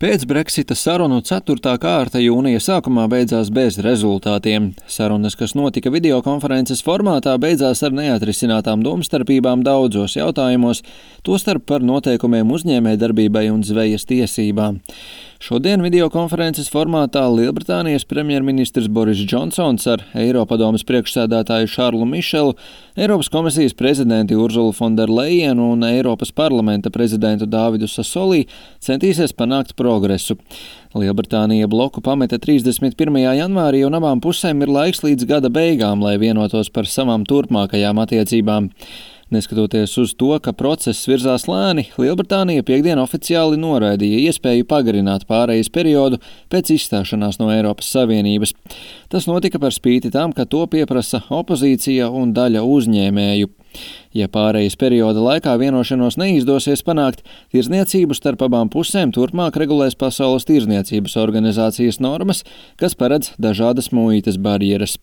Pēc Brexita sarunu 4. kārta jūnija sākumā beidzās bez rezultātiem. Sarunas, kas notika videokonferences formātā, beidzās ar neatrisinātām domstarpībām daudzos jautājumos, tostarp par noteikumiem uzņēmējdarbībai un zvejas tiesībām. Šodien videokonferences formātā Lielbritānijas premjerministrs Boris Džonsons ar Eiropadomes priekšsēdētāju Šarlu Mišelu, Eiropas komisijas prezidenti Urzulu Fonderlejenu un Eiropas parlamenta prezidentu Dāvidu Sasolī centīsies panākt progresu. Lielbritānija bloku pameta 31. janvārī un abām pusēm ir laiks līdz gada beigām, lai vienotos par savām turpmākajām attiecībām. Neskatoties uz to, ka process virzās lēni, Lielbritānija piekdien oficiāli noraidīja iespēju pagarināt pārejas periodu pēc izstāšanās no Eiropas Savienības. Tas notika par spīti tam, ka to pieprasa opozīcija un daļa uzņēmēju. Ja pārejas perioda laikā vienošanos neizdosies panākt, tirdzniecību starp abām pusēm turpmāk regulēs Pasaules tirdzniecības organizācijas normas, kas paredz dažādas muitas barjeras.